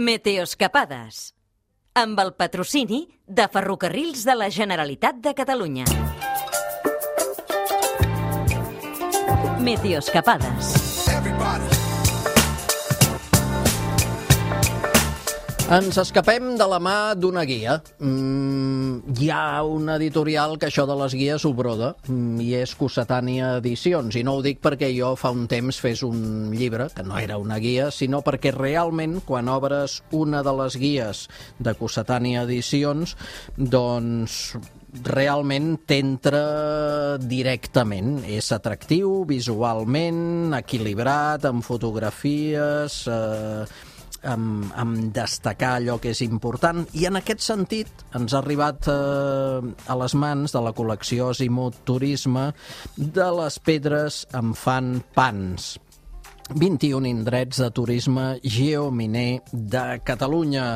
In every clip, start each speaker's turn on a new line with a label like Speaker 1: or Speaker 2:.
Speaker 1: Meteoscapades, amb el patrocini de Ferrocarrils de la Generalitat de Catalunya. Meteoscapades.
Speaker 2: Ens escapem de la mà d'una guia. Hi ha una editorial que això de les guies ho broda, i és Cossetània Edicions. I no ho dic perquè jo fa un temps fes un llibre, que no era una guia, sinó perquè realment, quan obres una de les guies de Cossetània Edicions, doncs realment t'entra directament. És atractiu visualment, equilibrat, amb fotografies, amb destacar allò que és important, i en aquest sentit ens ha arribat a les mans de la col·lecció Azimuth Turisme de les pedres em fan pans. 21 indrets de turisme geominer de Catalunya.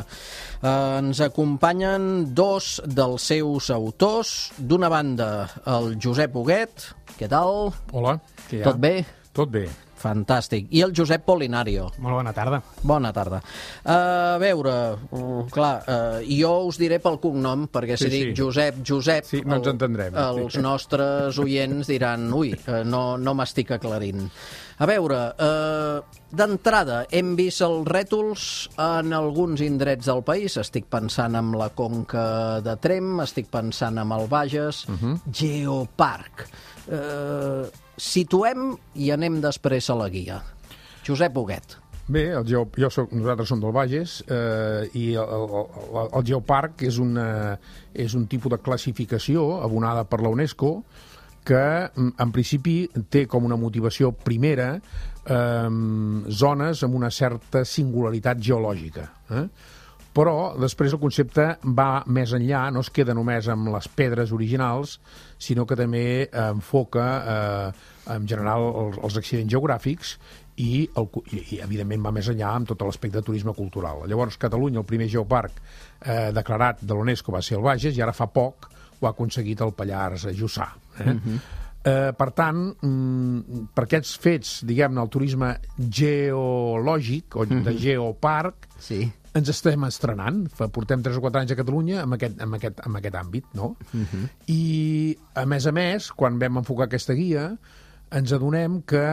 Speaker 2: Ens acompanyen dos dels seus autors. D'una banda, el Josep Huguet. Què tal?
Speaker 3: Hola. Què hi ha?
Speaker 2: Tot bé?
Speaker 3: Tot bé.
Speaker 2: Fantàstic. I el Josep Polinario.
Speaker 4: Molt bona tarda.
Speaker 2: Bona tarda. A veure, jo us diré pel cognom, perquè si dic Josep,
Speaker 3: sí, no ens entendrem.
Speaker 2: Els nostres oients diran, ui, no m'estic aclarint. A veure, d'entrada, hem vist els rètols en alguns indrets del país. Estic pensant en la Conca de Tremp, estic pensant en el Bages, Geoparc. Situem i anem després a la guia. Josep Huguet.
Speaker 3: Bé, nosaltres som del Bages, i el Geoparc és un tipus de classificació abonada per la UNESCO que en principi té com una motivació primera zones amb una certa singularitat geològica. Però després el concepte va més enllà, no es queda només amb les pedres originals, sinó que també enfoca en general els accidents geogràfics i evidentment va més enllà amb tot l'aspecte de turisme cultural. Llavors, Catalunya, el primer geoparc declarat de l'UNESCO va ser el Bages, i ara fa poc ho ha aconseguit el Pallars Jussà. Per tant, per aquests fets, diguem-ne, el turisme geològic o de geoparc, ens estem estrenant. Portem 3 o 4 anys a Catalunya amb aquest àmbit, no? I, a més, quan vam enfocar aquesta guia, ens adonem que,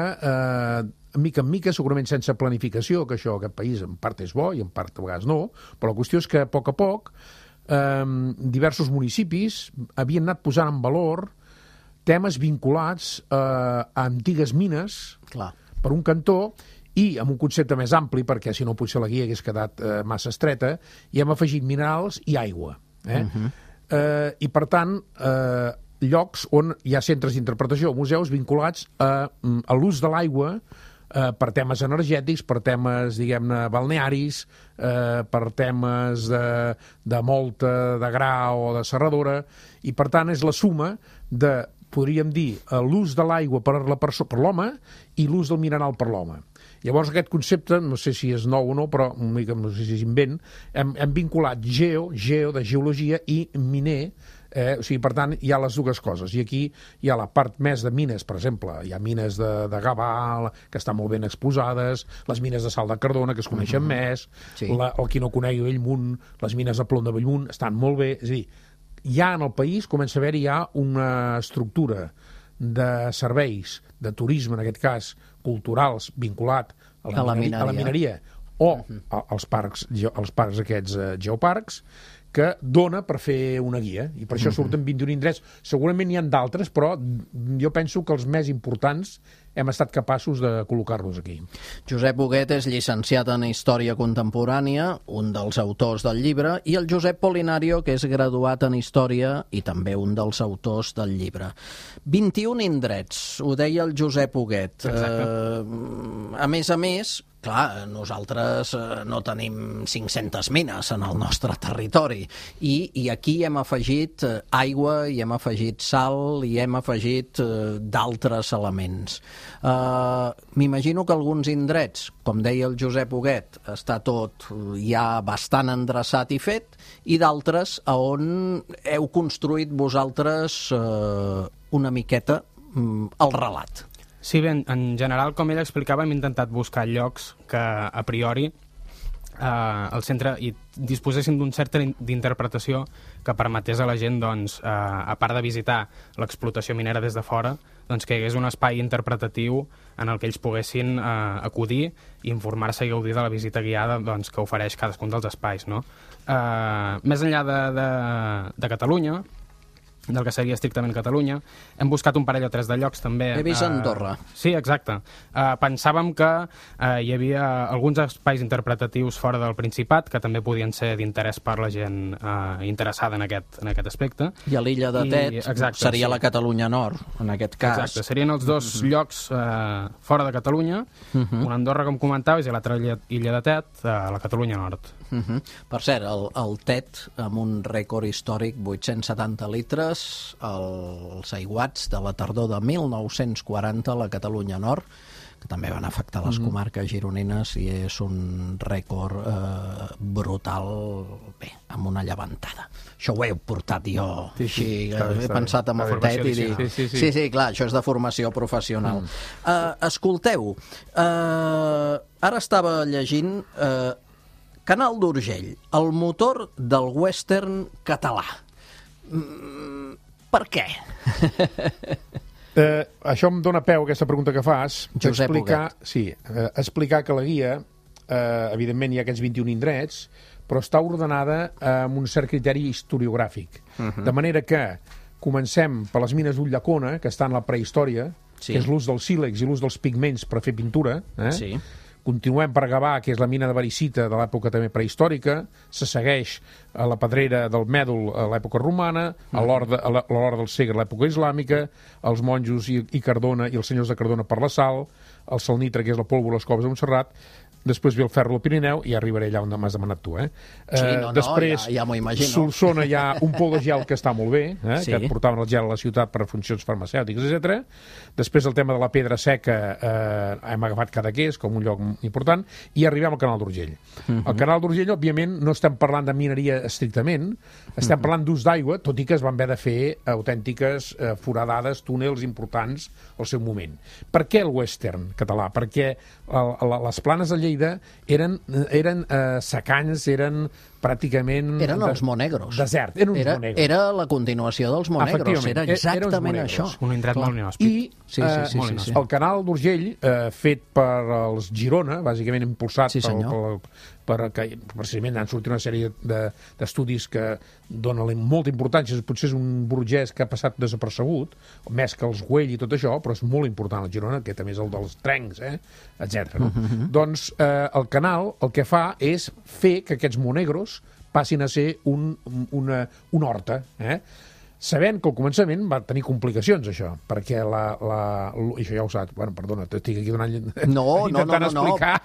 Speaker 3: mica en mica, segurament sense planificació, que això, aquest país, en part és bo i en part a vegades no, però la qüestió és que, a poc, diversos municipis havien anat posant en valor temes vinculats a antigues mines, per un cantó, i amb un concepte més ampli, perquè si no potser la guia hagués quedat massa estreta, i hem afegit minerals i aigua. I per tant, llocs on hi ha centres d'interpretació, museus vinculats a l'ús de l'aigua per temes energètics, per temes, diguem-ne, balnearis, per temes de molta de gra o de serradora, i per tant és la suma de, podríem dir, l'ús de l'aigua per l'home i l'ús del mineral per l'home. Llavors aquest concepte, no sé si és nou o no, però no sé si és invent, hem vinculat geo de geologia, i miner, o sigui, per tant, hi ha les dues coses. I aquí hi ha la part més de mines, per exemple, hi ha mines de Gavà, que estan molt ben exposades, les mines de Sal de Cardona, que es coneixen més, o qui no conegui Bellmunt, les mines de plom de Bellmunt, estan molt bé. És a dir, ja en el país comença a haver-hi una estructura de serveis, de turisme, en aquest cas, culturals, vinculat a la mineria o als parcs aquests geoparcs, que dona per fer una guia, i per això surten 21 indrets. Segurament n'hi ha d'altres, però jo penso que els més importants hem estat capaços de col·locar-los aquí.
Speaker 2: Josep Huguet és llicenciat en Història Contemporània, un dels autors del llibre, i el Josep Polinario, que és graduat en Història i també un dels autors del llibre. 21 indrets, ho deia el Josep Huguet. A més, clar, nosaltres no tenim 500 mines en el nostre territori, i aquí hem afegit aigua, i hem afegit sal, i hem afegit d'altres elements. M'imagino que alguns indrets, com deia el Josep Huguet, està tot ja bastant endreçat i fet, i d'altres on heu construït vosaltres una miqueta el relat.
Speaker 4: Sí, bé, en general, com ell explicava, hem intentat buscar llocs que, a priori, el centre i disposessin d'un cert d'interpretació que permetés a la gent, doncs, a part de visitar l'explotació minera des de fora, doncs que hi hagués un espai interpretatiu en el que ells poguessin acudir i informar-se i gaudir de la visita guiada, doncs, que ofereix cadascun dels espais, no? Més enllà de Catalunya, del que seria estrictament Catalunya, hem buscat un parell o tres de llocs també.
Speaker 2: He vist Andorra.
Speaker 4: Sí, exacte. Pensàvem que hi havia alguns espais interpretatius fora del Principat que també podien ser d'interès per la gent interessada en aquest aspecte.
Speaker 2: I a l'illa de Tet seria la Catalunya Nord, en aquest cas.
Speaker 4: Exacte, serien els dos llocs fora de Catalunya, una Andorra, com comentaves, i l'altra illa de Tet, a la Catalunya Nord.
Speaker 2: Per cert, el Tet, amb un rècord històric, 870 litres, els aiguats de la tardor de 1940 a la Catalunya Nord, que també van afectar les comarques gironines, i és un rècord brutal, bé, amb una llevantada. Això ho he portat jo, així, he pensat en el Tet i dic... Sí, clar, això és de formació professional. Escolteu, ara estava llegint Canal d'Urgell, el motor del western català. Per què?
Speaker 3: Això em dóna peu, aquesta pregunta que fas,
Speaker 2: Josep Huguet.
Speaker 3: Explicar que la guia, evidentment hi ha aquests 21 indrets, però està ordenada amb un cert criteri historiogràfic. De manera que comencem per les mines d'Ullacona, que està en la prehistòria, que és l'ús dels sílex i l'ús dels pigments per fer pintura. Continuem per Gavà, que és la mina de Baricita de l'època també prehistòrica, se segueix a la pedrera del Mèdol a l'època romana, a l'hora del Segre a l'època islàmica, els monjos i Cardona i els senyors de Cardona per la sal, el salnitre, que és la pólvora, les coves de Montserrat, després ve el ferro del Pirineu i arribaré allà on m'has demanat tu. Després,
Speaker 2: ja m'ho imagino.
Speaker 3: Solsona hi ha un pou de gel que està molt bé, que et portaven el gel a la ciutat per funcions farmacèutiques, etc. Després el tema de la pedra seca, hem agafat Cadaqués com un lloc important, i arribem al Canal d'Urgell. Al Canal d'Urgell, òbviament, no estem parlant de mineria estrictament, estem parlant d'ús d'aigua, tot i que es van haver de fer autèntiques foradades, túnels importants al seu moment. Per què el western català? Perquè les planes de Lleida eren secans, eren pràcticament...
Speaker 2: Eren els Monegros.
Speaker 3: Desert, eren uns Monegros.
Speaker 2: Era la continuació dels Monegros, era exactament això.
Speaker 4: Un indret molt inhòspit.
Speaker 3: I el Canal d'Urgell, fet per els Girona, bàsicament impulsat precisament han sortit una sèrie d'estudis que donen molta importància, potser és un burgès que ha passat desapercebut, més que els Güell i tot això, però és molt important el Girona, que també és el dels trencs, etc. Doncs el canal el que fa és fer que aquests Monegros passin a ser una horta, sabent que al començament va tenir complicacions, això, perquè això ja ho saps, bueno, perdona, t'estic aquí donant... intentant explicar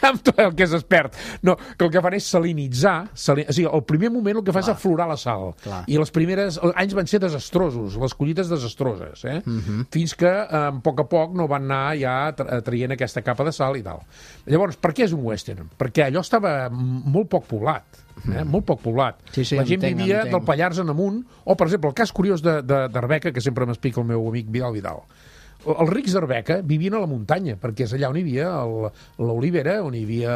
Speaker 3: amb tot el que és expert. No, que el que fan és salinitzar, o sigui, al primer moment el que fa és aflorar la sal, i els primers anys van ser desastrosos, les collites desastroses, fins que a poc no van anar ja traient aquesta capa de sal i tal. Llavors, per què és un western? Perquè allò estava molt poc poblat. Molt poc poblat. La gent vivia del Pallars en amunt, o per exemple el cas curiós d'Arbeca, que sempre m'explica el meu amic Vidal. Els rics d'Arbeca vivien a la muntanya, perquè és allà on hi havia l'olivera, on hi havia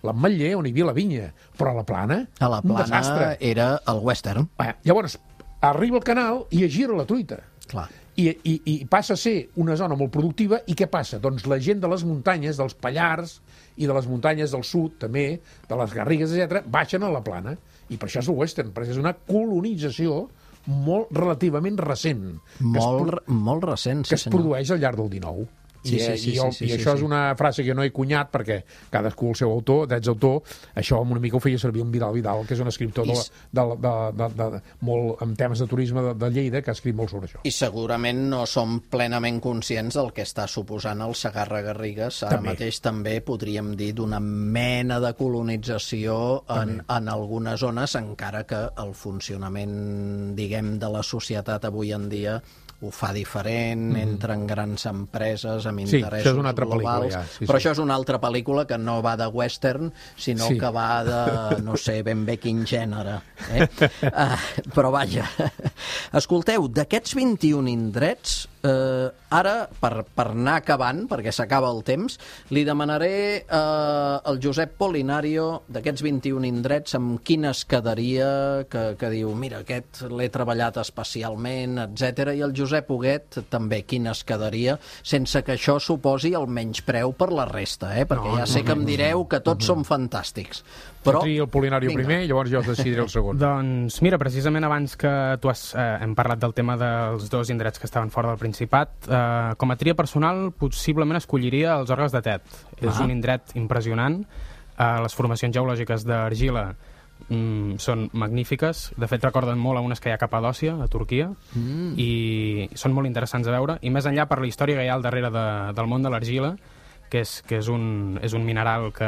Speaker 3: l'ametller, on hi havia la vinya, però a la plana un desastre.
Speaker 2: Era el western.
Speaker 3: Llavors arriba el canal i es gira la truita. I passa a ser una zona molt productiva, i què passa? Doncs la gent de les muntanyes, dels Pallars i de les muntanyes del sud, també, de les Garrigues, etc., baixen a la plana, i per això és el western, perquè és una colonització relativament recent.
Speaker 2: Molt recent, sí, senyor.
Speaker 3: Que es produeix al llarg del XIX. I això és una frase que no he cunyat, perquè cadascú el seu autor, drets d'autor, això una mica ho feia servir en Vidal, que és un escriptor molt amb temes de turisme de Lleida, que ha escrit molt sobre això.
Speaker 2: I segurament no som plenament conscients del que està suposant el Segarra-Garrigues. Ara mateix també podríem dir d'una mena de colonització en algunes zones, encara que el funcionament, diguem, de la societat avui en dia ho fa diferent, entren grans empreses amb interessos globals. Però això és una altra pel·lícula que no va de western, sinó que va de, no sé ben bé quin gènere. Però vaja, escolteu, d'aquests 21 indrets, Ara, per anar acabant, perquè s'acaba el temps, li demanaré al Josep Polinario, d'aquests 21 indrets, amb quin es quedaria, que diu, mira, aquest l'he treballat especialment, etc. I el Josep Huguet també, quin es quedaria, sense que això suposi el menyspreu per la resta, perquè ja sé que em direu que tots són fantàstics. Però
Speaker 3: el Polinario primer, llavors jo decidiré el segon.
Speaker 4: Doncs mira, precisament abans que hem parlat del tema dels dos indrets que estaven fora del Principat, com a tria personal possiblement escolliria els Orgues de Tet. És un indret impressionant. Les formacions geològiques d'argila són magnífiques. De fet, recorden molt a unes que hi ha a Capadòcia, a Turquia, i són molt interessants a veure. I més enllà per la història que hi ha al darrere del món de l'argila, que és un mineral que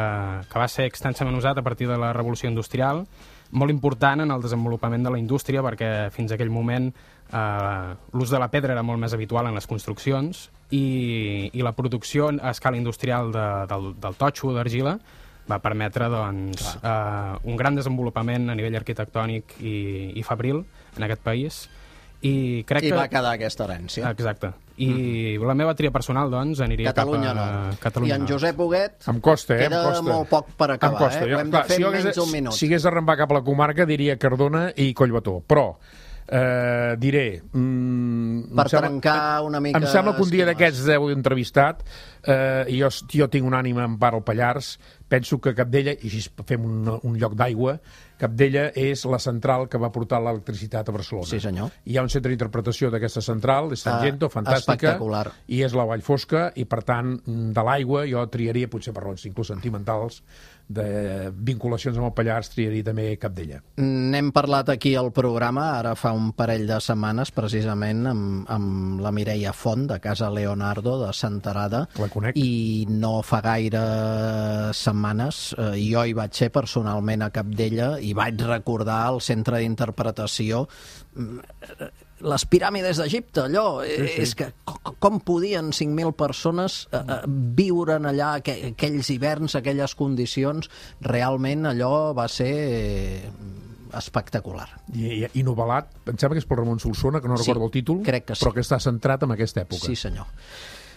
Speaker 4: va ser extensament usat a partir de la revolució industrial, molt important en el desenvolupament de la indústria, perquè fins a aquell moment l'ús de la pedra era molt més habitual en les construccions i la producció a escala industrial del totxo, d'argila, va permetre un gran desenvolupament a nivell arquitectònic i fabril en aquest país. I va
Speaker 2: quedar aquesta herència.
Speaker 4: Exacte. I la meva tria personal, doncs, aniria
Speaker 2: Catalunya
Speaker 4: cap a Catalunya.
Speaker 2: I en Josep Huguet
Speaker 3: em costa.
Speaker 2: Queda molt poc per acabar. Ho hem de fer en menys d'un minut.
Speaker 3: Si hagués d'arrencar cap a la comarca, diria Cardona i Collbató. Però diré...
Speaker 2: Per trencar una mica...
Speaker 3: Em sembla que un dia d'aquests heu entrevistat, i jo tinc una ànima en part al Pallars, penso que Capdella, i així fem un lloc d'aigua, Capdella és la central que va portar l'electricitat a Barcelona.
Speaker 2: Sí, senyor.
Speaker 3: Hi ha un centre d'interpretació d'aquesta central, és Tangento, fantàstica, i és la Vall Fosca, i per tant, de l'aigua jo triaria, potser per raons inclús sentimentals, de vinculacions amb el Pallars, triaria també Capdella.
Speaker 2: N'hem parlat aquí al programa, ara fa un parell de setmanes, precisament, amb la Mireia Font, de Casa Leonardo, de Senterada, i no fa gaire setmanes jo hi vaig ser personalment a Capdella i vaig recordar el centre d'interpretació, les piràmides d'Egipte, allò, és que com podien 5.000 persones viure allà aquells hiverns, aquelles condicions, realment allò va ser espectacular.
Speaker 3: I novel·lat, em sembla que és pel Ramon Solsona, que no recordo el títol, però que està centrat en aquesta època.
Speaker 2: Sí, senyor.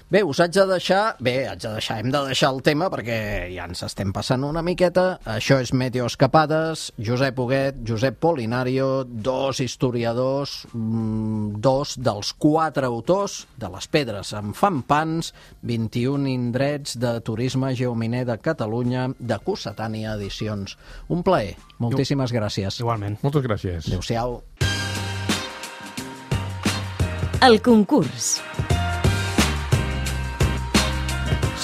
Speaker 2: Bé, us haig de deixar... hem de deixar el tema perquè ja ens estem passant una miqueta. Això és Meteoescapades, Josep Huguet, Josep Polinario, dos historiadors, dos dels 4 autors de Les Pedres en fan pans, 21 indrets de turisme geominer de Catalunya, de Cossetània Edicions. Un plaer. Moltíssimes gràcies.
Speaker 4: Igualment.
Speaker 3: Moltes gràcies.
Speaker 2: Adéu-siau.
Speaker 1: El concurs.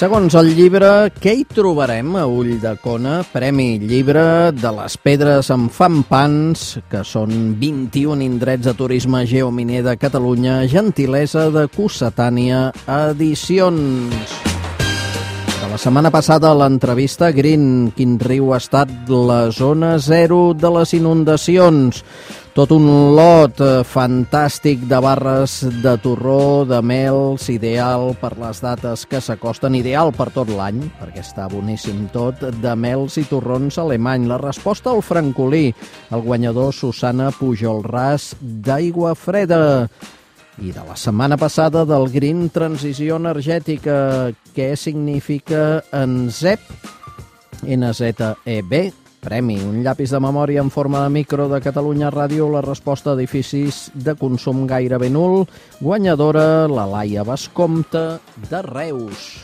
Speaker 2: Segons el llibre, què hi trobarem a Ulldecona? Premi Llibre de Les Pedres en fan pans, que són 21 indrets de turisme geominer de Catalunya, gentilesa de Cossetània Edicions. De la setmana passada, a l'entrevista Green, quin riu ha estat la zona zero de les inundacions. Tot un lot fantàstic de barres de torró, de mels, ideal per les dates que s'acosten, ideal per tot l'any, perquè està boníssim tot, de mels i torrons alemany. La resposta al francolí, el guanyador Susana Pujolràs d'Aigua Freda. I de la setmana passada del Green Transició Energètica, què significa NZEB? NZEB. Premi, un llapis de memòria en forma de micro de Catalunya Ràdio, la resposta a edificis de consum gairebé nul, guanyadora la Laia Bascompte de Reus.